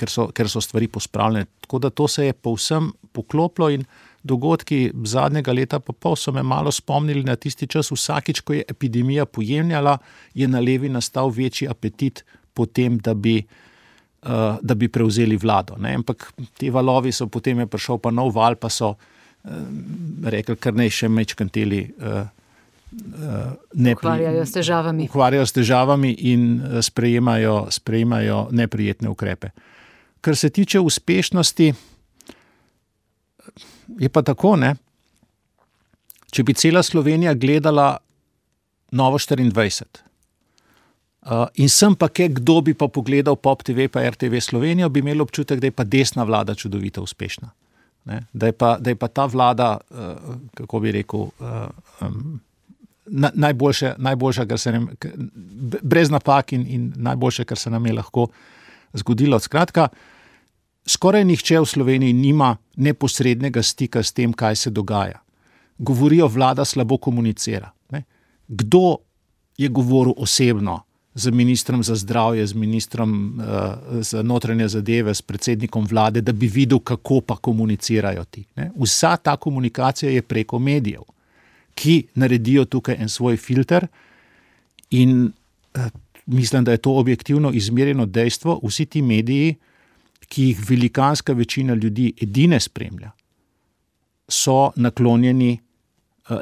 C: so stvari pospravljene. Tako da to se je povsem poklopilo in dogodki zadnjega leta pa pol so me malo spomnili na tisti čas. Vsakič, ko je epidemija pojemljala, je na levi nastal večji apetit po tem, da bi prevzeli vlado. Ampak te valovi so, potem je prišel pa nov val, pa so rekli, kar naj še mečkanteli ukvarjajo s težavami in sprejemajo neprijetne ukrepe. Kar se tiče uspešnosti, je pa tako, če bi cela Slovenija gledala Novo 24 in sem pa kdo bi pa pogledal Pop TV pa RTV Slovenijo, bi imel občutek, da je pa desna vlada čudovito uspešna. Ne? Da je pa ta vlada, kako bi rekel, najboljša, kar se nam, brez napak in najboljše, kar se nam je lahko zgodilo. Skratka, skoraj nihče v Sloveniji nima neposrednega stika s tem, kaj se dogaja. Govorijo, vlada slabo komunicira. Ne? Kdo je govoril osebno z ministrom za zdravje, z ministrom za notranje zadeve, s predsednikom vlade, da bi videl, kako pa komunicirajo ti. Ne? Vsa ta komunikacija je preko medijev, ki naredijo tukaj en svoj filter in mislim, da je to objektivno izmerjeno dejstvo. Vsi ti mediji, ki jih velikanska večina ljudi edine spremlja, so naklonjeni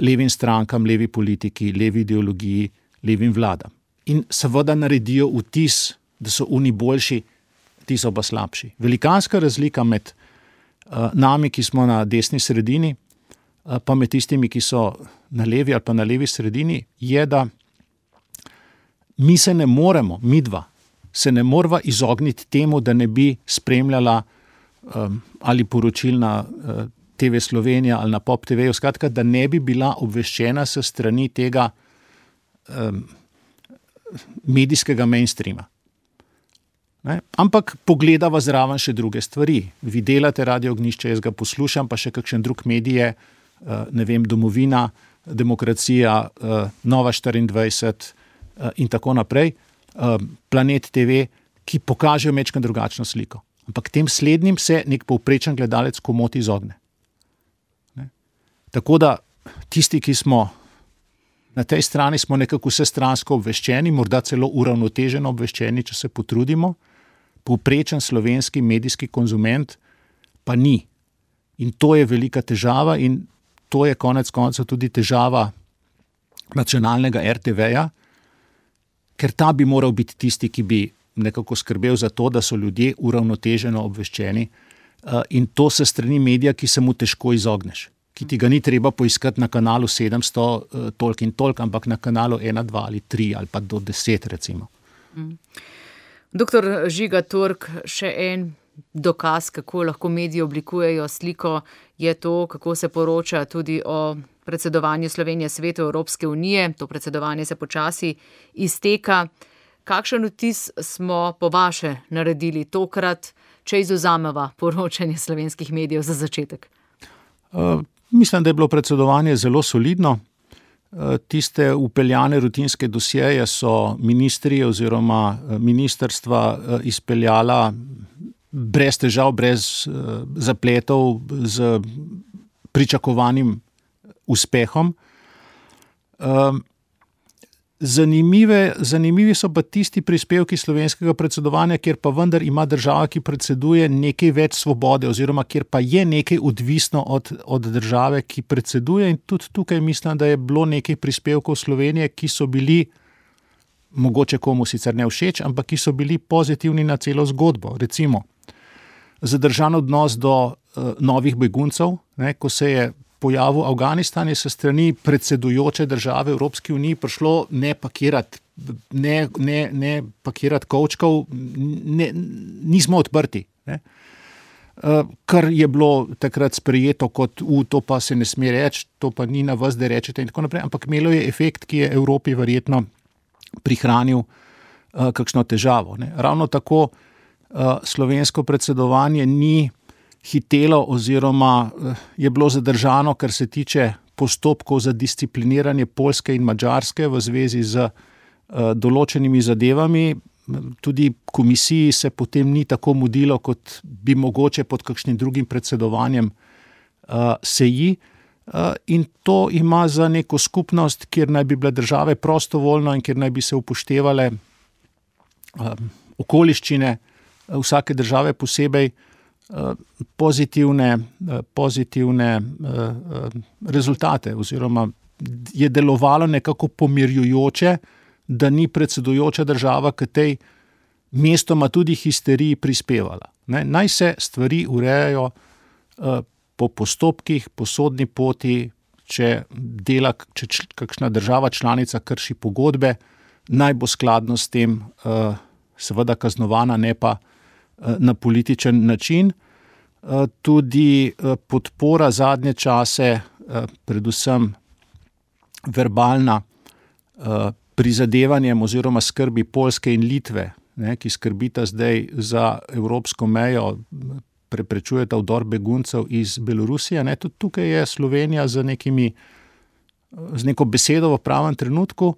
C: levim strankam, levi politiki, levi ideologiji, levim vladam. In seveda naredijo vtis, da so oni boljši, ti so pa slabši. Velikanska razlika med nami, ki smo na desni sredini, pa med tistimi, ki so na levi ali pa na levi sredini, je, da mi se ne moremo, midva, se ne morava izogniti temu, da ne bi spremljala ali poročil na TV Slovenija ali na Pop TV, skratka, da ne bi bila obveščena s strani tega medijskega mainstreama. Ne? Ampak pogledava zraven še druge stvari. Vi delate Radio Ognjišče, jaz ga poslušam, pa še kakšen drug medije, ne vem, Domovina, Demokracija, Nova 24 in tako naprej, Planet TV, ki pokažejo mečkan drugačno sliko. Ampak tem slednjim se nek povprečen gledalec komot izogne. Ne? Tako da tisti, ki smo na tej strani, smo nekako vsestransko obveščeni, morda celo uravnoteženo obveščeni, če se potrudimo, povprečen slovenski medijski konzument pa ni. In to je velika težava in to je konec koncev tudi težava nacionalnega RTV-ja, ker ta bi moral biti tisti, ki bi nekako skrbel za to, da so ljudje uravnoteženo obveščeni in to se strani medija, ki se mu težko izogneš, ki ti ga ni treba poiskati na kanalu 700 toliko in toliko, ampak na kanalu 1, 2 ali 3 ali pa do 10 recimo.
B: Doktor Žiga Turk, še en dokaz, kako lahko mediji oblikujejo sliko, je to, kako se poroča tudi o predsedovanju Slovenije Svetu Evropske unije. To predsedovanje se počasi izteka. Kakšen vtis smo po vaše naredili tokrat, če izvzameva poročanje slovenskih medijev za začetek?
C: Mislim, da je bilo predsedovanje zelo solidno. Tiste upeljane rutinske dosjeje so ministri oziroma ministrstva izpeljala brez težav, brez zapletov, z pričakovanim uspehom. Zanimivi so pa tisti prispevki slovenskega predsedovanja, kjer pa vendar ima država, ki predseduje, nekaj več svobode oziroma kjer pa je nekaj odvisno od države, ki predseduje in tudi tukaj mislim, da je bilo nekaj prispevkov Slovenije, ki so bili mogoče komu sicer ne všeč, ampak ki so bili pozitivni na celo zgodbo. Recimo, zadržan odnos do novih beguncev, ne, ko se je pojavil Afganistan, je se strani predsedujoče države Evropske unije prišlo ne pakirati kovčkov, nismo odprti. Ne. Kar je bilo takrat sprejeto kot to pa se ne sme reči, to pa ni na vas, da rečete in tako naprej, ampak imelo je efekt, ki je Evropi verjetno prihranil kakšno težavo. Ne. Ravno tako slovensko predsedovanje ni hitelo oziroma je bilo zadržano, kar se tiče postopkov za discipliniranje Poljske in Madžarske v zvezi z določenimi zadevami. Tudi komisiji se potem ni tako mudilo, kot bi mogoče pod kakšnim drugim predsedovanjem seji. In to ima za neko skupnost, kjer naj bi bile države prostovoljno in kjer naj bi se upoštevale okoliščine vsake države posebej, pozitivne rezultate oziroma je delovalo nekako pomirjujoče, da ni predsedujoča država k tej mestoma tudi histeriji prispevala. Ne, naj se stvari urejajo po postopkih, po sodni poti, če kakšna država članica krši pogodbe, naj bo skladno s tem seveda kaznovana, ne pa na političen način. Tudi podpora zadnje čase, predvsem verbalna, prizadevanjem oziroma skrbi Poljske in Litve, ki skrbita zdaj za evropsko mejo, preprečujeta vdor beguncev iz Belorusije. Tudi tukaj je Slovenija z neko besedo v pravem trenutku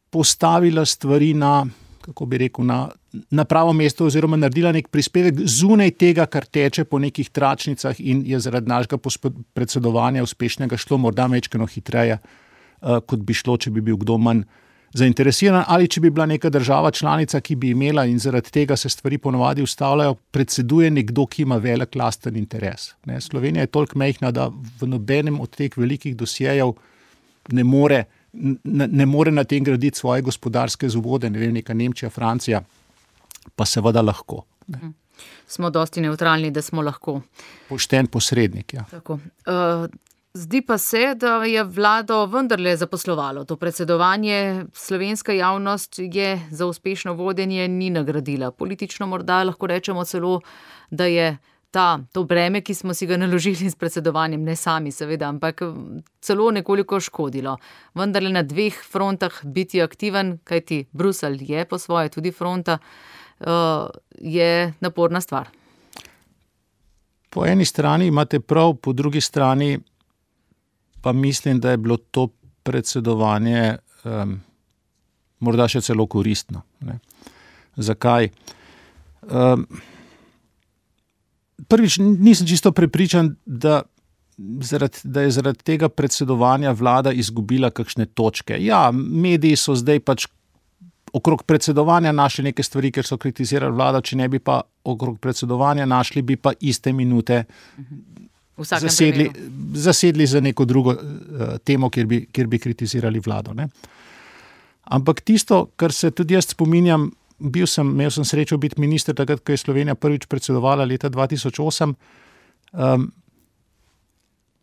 C: postavila stvari na pravo mesto oziroma naredila nek prispevek zunaj tega, kar teče po nekih tračnicah in je zaradi našega predsedovanja uspešnega šlo morda majčkeno hitreje, kot bi šlo, če bi bil kdo manj zainteresiran ali če bi bila neka država članica, ki bi imela in zaradi tega se stvari ponovadi ustavljajo, predseduje nekdo, ki ima velik lasten interes. Slovenija je toliko majhna, da v nobenem od teh velikih dosjejev ne more na tem graditi svoje gospodarske zavode, neka Nemčija, Francija, pa seveda lahko.
B: Smo dosti nevtralni, da smo lahko.
C: Pošten posrednik, ja.
B: Tako. Zdi pa se, da je vlado vendarle zaposlovalo. To predsedovanje slovenska javnost je za uspešno vodenje ni nagradila. Politično morda lahko rečemo celo, da je to breme, ki smo si ga naložili s predsedovanjem, ne sami seveda, ampak celo nekoliko škodilo. Vendarle na 2 frontah biti aktiven, kajti Bruselj je po svoje tudi fronta, je naporna stvar.
C: Po eni strani imate prav, po drugi strani pa mislim, da je bilo to predsedovanje morda še celo koristno. Zakaj? Prvič, nisem čisto prepričan, da je zaradi tega predsedovanja vlada izgubila kakšne točke. Ja, mediji so zdaj pač okrog predsedovanja našli neke stvari, ker so kritizirali vlado, če ne bi pa okrog predsedovanja našli, bi pa iste minute zasedli za neko drugo temo, kjer bi kritizirali vlado. Ampak tisto, kar se tudi jaz spominjam, imel sem srečo biti minister takrat, ko je Slovenija prvič predsedovala leta 2008.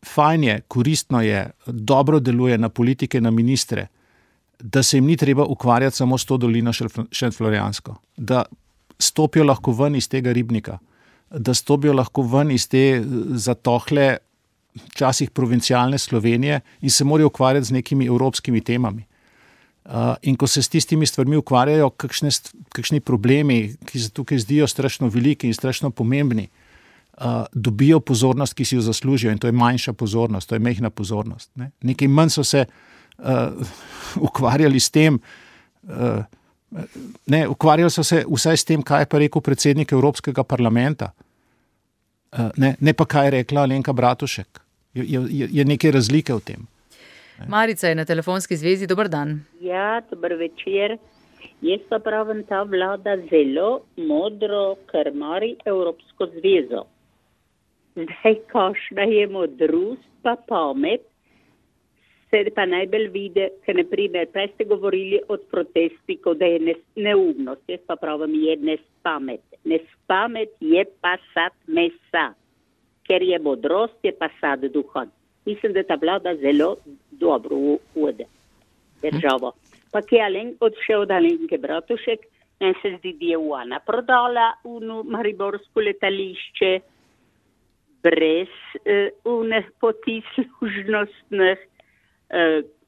C: Fajn je, koristno je, dobro deluje na politike, na ministre, da se jim ni treba ukvarjati samo s to dolino šentflorjansko, da stopijo lahko ven iz tega ribnika, da stopijo lahko ven iz te zatohle, včasih provincialne Slovenije in se morajo ukvarjati z nekimi evropskimi temami. In ko se s tistimi stvarmi ukvarjajo, kakšni problemi, ki se tukaj zdijo strašno veliki in strašno pomembni, dobijo pozornost, ki si jo zaslužijo, in to je manjša pozornost, to je majhna pozornost. Nekaj manj so se ukvarjali s tem, ukvarjali so se vsaj s tem, kaj je pa rekel predsednik Evropskega parlamenta, ne pa kaj je rekla Alenka Bratušek. Je nekaj razlike v tem.
B: Marica je na telefonski zvezi, dober dan.
E: Ja, dober večer. Jaz pa pravim, ta vlada zelo modro krmari Evropsko zvezo. Zdaj, kakšna je modrost pa pamet, se pa najbolj vidi, ker naprimer, prej ste govorili od protestnikov, da je neumnost. Jaz pa pravim, je nespamet. Nespamet je pa sad mesa, ker je modrost, je pa sad duha. Mislim, da ta vlada zelo dobro vode državo. Pa ki je odšel od Alenke Bratušek, meni se zdi, da je ona prodala mariborsko letališče brez poti služnostnih.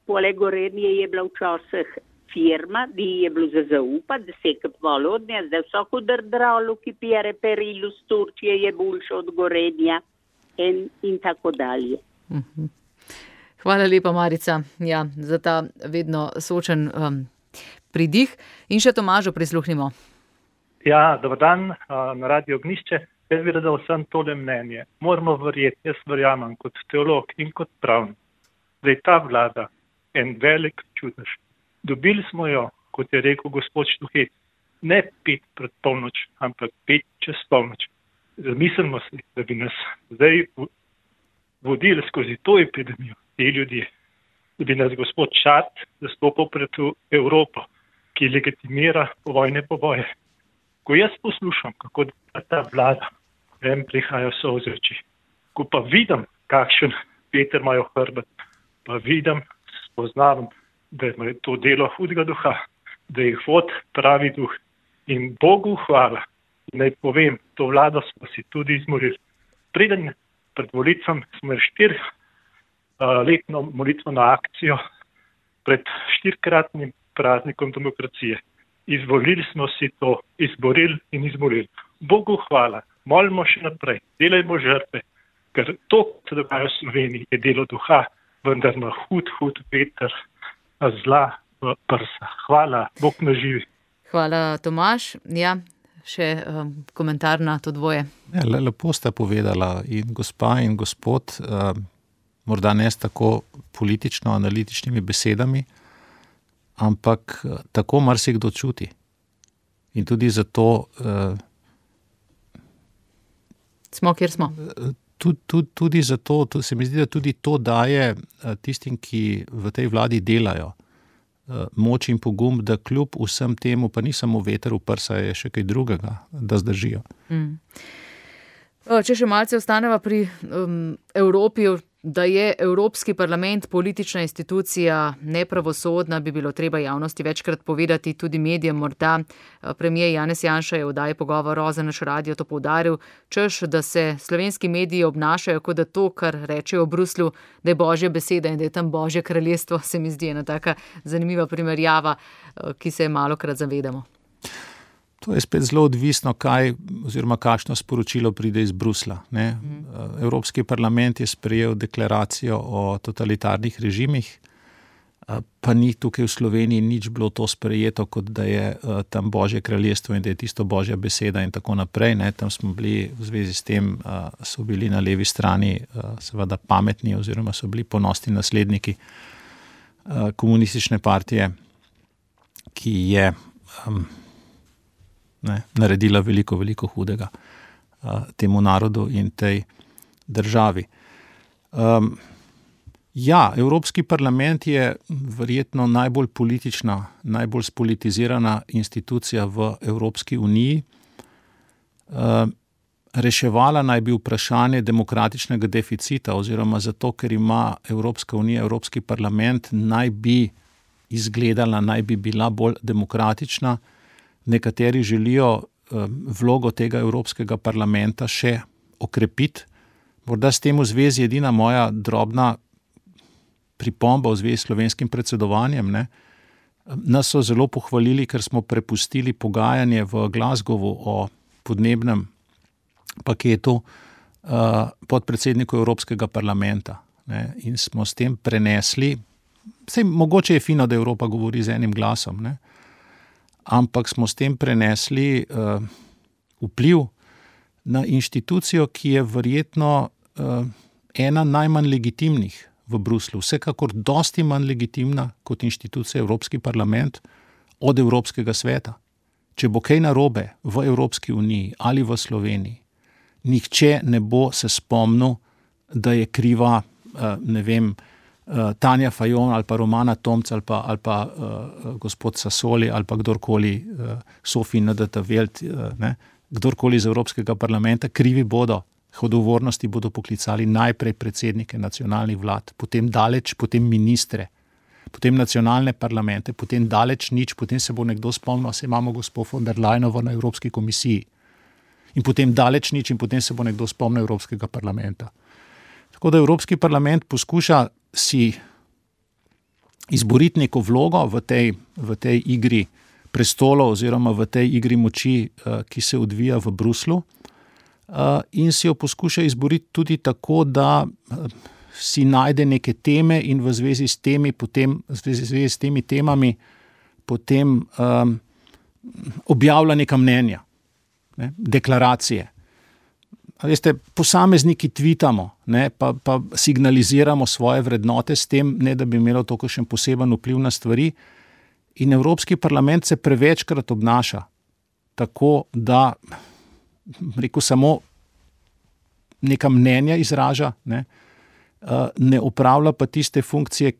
E: Poleg Gorenje je bila včasih firma, da je bilo za zaupati, da se je kupovalo od nje, zdaj vsako drdralo, ki pije reperilu z Turčije, je boljše od Gorenja in tako dalje.
B: Hvala lepa, Marica, za ta vedno sočen pridih. In še Tomažu prisluhnimo.
F: Ja, dober dan, na Radio Ognišče. Jaz bi radil vsem tole mnenje. Moramo verjeti, jaz verjamem kot teolog in kot pravnik, da je ta vlada en velik čudež. Dobili smo jo, kot je rekel gospod Štuhec, ne 5 pred polnoč, ampak 5 čez polnoč. Zamislimo si, da bi nas zdaj vodili skozi to epidemijo, te ljudje, da bi nas gospod Šart zastopal pred Evropo, ki legitimira povojne poboje. Ko jaz poslušam, kako ta vlada, prihajajo solze v oči, ko pa vidim, kakšen veter imajo hrbet, pa vidim, spoznavam, da je to delo hudega duha, da jih vod pravi duh. In Bogu hvala, naj povem, to vlado smo si tudi izmorili. Preden pred volitvami smo imeli 4-letno molitveno akcijo pred 4-kratnim praznikom demokracije. Izvolili smo si to, izborili in izmorili. Bogu hvala, molimo še naprej, delajmo žrtve, ker to, kar se dogaja v Sloveniji, je delo duha, vendar na hud veter zla v prsa. Hvala, Bog nas živi.
B: Hvala, Tomaž. Ja, še komentar na to dvoje.
C: Ja, lepo sta povedala in gospa in gospod, morda ne s tako politično-analitičnimi besedami, ampak tako marsikdo čuti. In tudi zato
B: smo, kjer smo.
C: Tudi zato, se mi zdi, da tudi to daje tistim, ki v tej vladi delajo, moč in pogum, da kljub vsem temu, pa ni samo veter v prsa, je še kaj drugega, da zdržijo.
B: Če še malce ostaneva pri Evropi, da je Evropski parlament politična institucija, nepravosodna, bi bilo treba javnosti večkrat povedati, tudi medijem morda. Premijer Janez Janša je v oddaji Pogovor za naš radio to poudaril, češ, da se slovenski mediji obnašajo, kot da to, kar rečejo v Bruslju, da je božja beseda in da je tam božje kraljestvo, se mi zdi ena taka zanimiva primerjava, ki se malokrat zavedamo.
C: To je spet zelo odvisno, kakšno sporočilo pride iz Brusla. Ne? Evropski parlament je sprejel deklaracijo o totalitarnih režimih, pa ni tukaj v Sloveniji nič bilo to sprejeto, kot da je tam božje kraljestvo in da je tisto božja beseda in tako naprej. Ne? Tam smo bili v zvezi s tem, so bili na levi strani seveda pametni oziroma so bili ponosni nasledniki komunistične partije, ki je naredila veliko hudega temu narodu in tej državi. Evropski parlament je verjetno najbolj politična, najbolj spolitizirana institucija v Evropski uniji. Reševala naj bi vprašanje demokratičnega deficita oziroma zato, ker ima Evropska unija, Evropski parlament, naj bi izgledala, naj bi bila bolj demokratična. Nekateri želijo vlogo tega Evropskega parlamenta še okrepiti. Morda s tem v zvezi edina moja drobna pripomba v zvezi s slovenskim predsedovanjem. Ne? Nas so zelo pohvalili, ker smo prepustili pogajanje v Glasgowu o podnebnem paketu podpredsedniku Evropskega parlamenta. Ne? In smo s tem prenesli, mogoče je fino, da Evropa govori z enim glasom, ne? Ampak smo s tem prenesli vpliv na inštitucijo, ki je verjetno ena najmanj legitimnih v Bruslu. Vsekakor dosti manj legitimna kot inštitucija Evropski parlament od Evropskega sveta. Če bo kaj narobe v Evropski uniji ali v Sloveniji, nihče ne bo se spomnil, da je kriva, Tanja Fajon ali pa Romana Tomc ali pa gospod Sassoli ali pa kdorkoli, Sofi N.D.T.Velt, kdorkoli iz Evropskega parlamenta, krivi bodo, odgovornosti bodo poklicali najprej predsednike nacionalnih vlad, potem ministre, potem nacionalne parlamente, potem daleč nič, potem se bo nekdo spomnil, se imamo gospod von der Leyenovo na Evropski komisiji in potem daleč nič in potem se bo nekdo spomnil Evropskega parlamenta. Tako da Evropski parlament poskuša si izboriti neko vlogo v tej igri prestolov oziroma v tej igri moči, ki se odvija v Bruslu, in si jo poskuša izboriti tudi tako, da si najde neke teme in v zvezi s temi temami potem objavlja neka mnenja, deklaracije. Veste, posamezniki tvitamo, pa signaliziramo svoje vrednote s tem, ne da bi imelo to kakšen poseben vpliv na stvari. In Evropski parlament se prevečkrat obnaša tako, da samo neka mnenja izraža, ne opravlja pa tiste funkcije,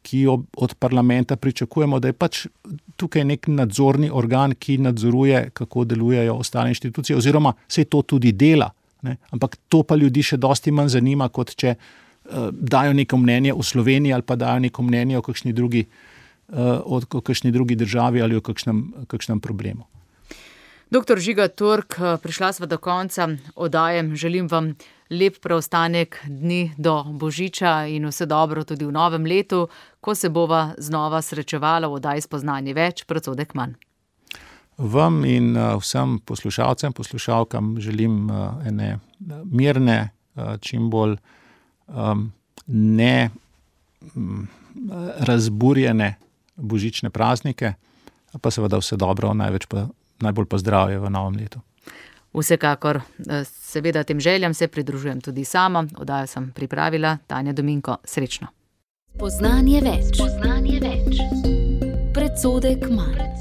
C: ki jo od parlamenta pričakujemo, da je pač tukaj nek nadzorni organ, ki nadzoruje, kako delujejo ostale inštitucije, oziroma se to tudi dela. Ampak to pa ljudi še dosti manj zanima, kot če dajo neko mnenje o Sloveniji ali pa dajo neko mnenje o kakšni drugi državi ali o kakšnem problemu.
B: Doktor Žiga Turk, prišla sva do konca oddaje. Želim vam lep preostanek dni do Božiča in vse dobro tudi v novem letu, ko se bova znova srečevala v oddaji Spoznanje več, predsodek manj.
C: Vam in vsem poslušalcem, poslušalkam želim ene mirne, čim bolj ne razburjene božične praznike, pa seveda vse dobro, najbolj pa zdravje v novem letu.
B: Vsekakor, seveda tem željam se pridružujem tudi sama. Oddajo sem pripravila Tanja Dominko. Srečno.
A: Spoznanje več. Predsodek manj.